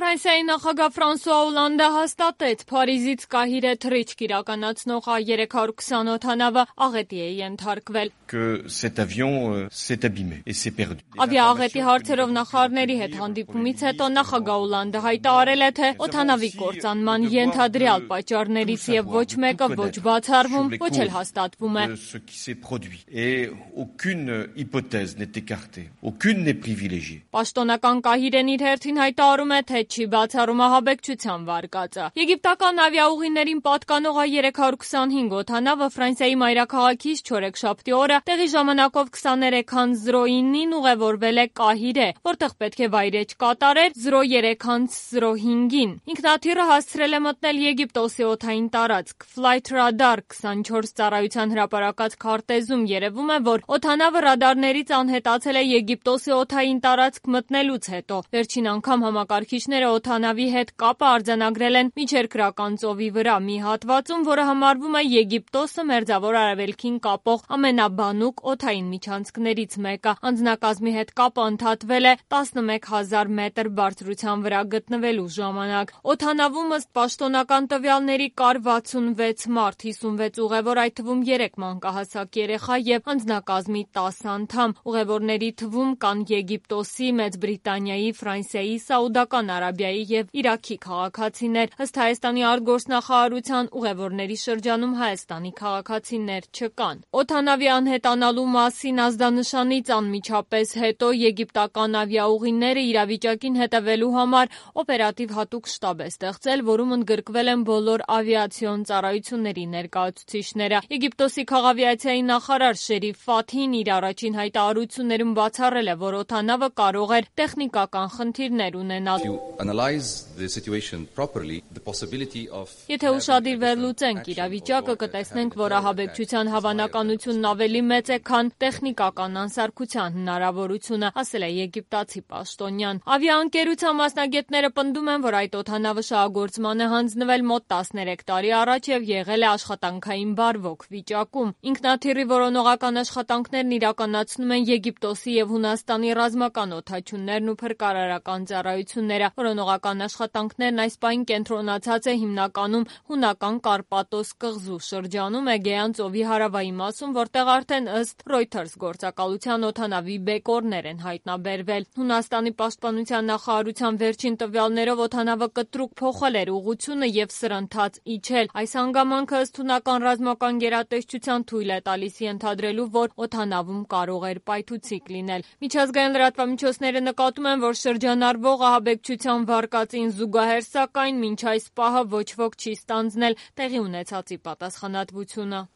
Ֆրանսիայի նախագահ Ֆրանսուଆ Օլանդը հաստատեց Փարիզից Կահիրե թռիչք իրականացնող A320 օդանավը աղետի է ենթարկվել։ Ավիաաղետի հարցերով նախարարների հետ հանդիպումից հետո նախագահ Օլանդը հայտարարել է, թե օդանավի կործանման ենթադրյալ պատճառներից եւ ոչ մեկը ոչ բացառվում, ոչ էլ հաստատվում է։ Պաշտոնական Կահիրեն իր հերթին հայտարարում է, թե չի բացառում ահաբեկչության վարկածը։ Եգիպտական ավիաուղիներին պատկանող A325 օդանավը Ֆրանսիայի մայրաքաղաքից չորեքշաբթի օրը տեղի ժամանակով 23:09-ին ուղևորվել է Կահիրե, որտեղ պետք է վայրէջք կատարեր 03:05-ին։ Ինքնաթիռը հասցրել է մտնել Եգիպտոսի օդային տարածք։ Flight Radar 24 ծառայության հրապարակած քարտեզում երևում է, որ օդանավը ռադարներից անհետացել է Եգիպտոսի օդային տարածք մտնելուց հետո։ Վերջին անգամ համակարգիչները օդանավի հետ կապը արձանագրել են Միջերկրական ծովի վրա մի հատվածում, որը համարվում է Եգիպտոսը Մերձավոր Արևելքին կապող ամենաբանուկ օդային միջանցքներից մեկը։ Անձնակազմի հետ կապը ընդհատվել է 11,000 մետր բարձրության վրա գտնվելու ժամանակ։ Օդանավում ըստ պաշտոնական տվյալների կար 66 մարդ, 56 ուղևոր, այդ թվում 3 մանկահասակ երեխա եւ անձնակազմի 10 անդամ։ Ուղևորների թվում կան Եգիպտոսի, Մեծ Բրիտանիայի, Ֆրանսիայի, Սաուդական Արաբիայի եւ Իրաքի քաղաքացիներ։ Ըստ Հայաստանի արտգործնախարարության ուղևորների շրջանում Հայաստանի քաղաքացիներ չկան։ Օդանավի անհետանալու մասին ազդանշանից անմիջապես հետո եգիպտական ավիաուղիները իրավիճակին հետևելու համար օպերատիվ հատուկ շտաբ է ստեղծել, որում ընդգրկվել են բոլոր ավիացիոն ծառայությունների ներկայացուցիչները։ Եգիպտոսի քաղավիացիայի նախարար Շերիֆ Ֆաթհին իր առաջին հայտարարություններում բացառել է, որ օդանավը կարող էր տեխնիկական խնդիրներ ունենալ։ Եթե ուշադիր վերլուծենք իրավիճակը, կտեսնենք, որ ահաբեկչության հավանականությունն ավելի մեծ է, քան տեխնիկական անսարքության հնարավորությունը, ասել է եգիպտացի պաշտոնյան։ Ավիաընկերության մասնագետները պնդում են, որ այդ օդանավը շահագործման է հանձնվել մոտ 13 տարի առաջ եւ եղել է աշխատանքային բարվոք վիճակում։ Ինքնաթիռի որոնողական աշխատանքներն իրականացնում են Եգիպտոսի եւ Հունաստանի ռազմական օդաչուններն ու փրկարարական ծառայությունները։ Որոնողական աշխատանքներն այս պահին կենտրոնացած է հիմնականում հունական Կարպատոս կղզու շրջանում Էգեյան ծովի հարավային մասում, որտեղ արդեն ըստ Reuters գործակալության օդանավի բեկորներ են հայտնաբերվել։ Հունաստանի պաշտպանության նախարարության վերջին տվյալներով օդանավը կտրուկ փոխել էր ուղղությունը եւ սրընթաց իջել։ Այս հանգամանքը ըստ հունական ռազմական գերատեսչության թույլ է տալիս ենթադրելու, որ օդանավում կարող էր պայթուցիկ լինել։ Միջազգային լրատվամիջոցները նկատում են, որ շրջանառվող ահաբեկչության վարկածին զուգահեռ, սակայն մինչ այս պահը ոչ ոք չի ստանձնել տեղի ունեցածի պատասխանատվությունը։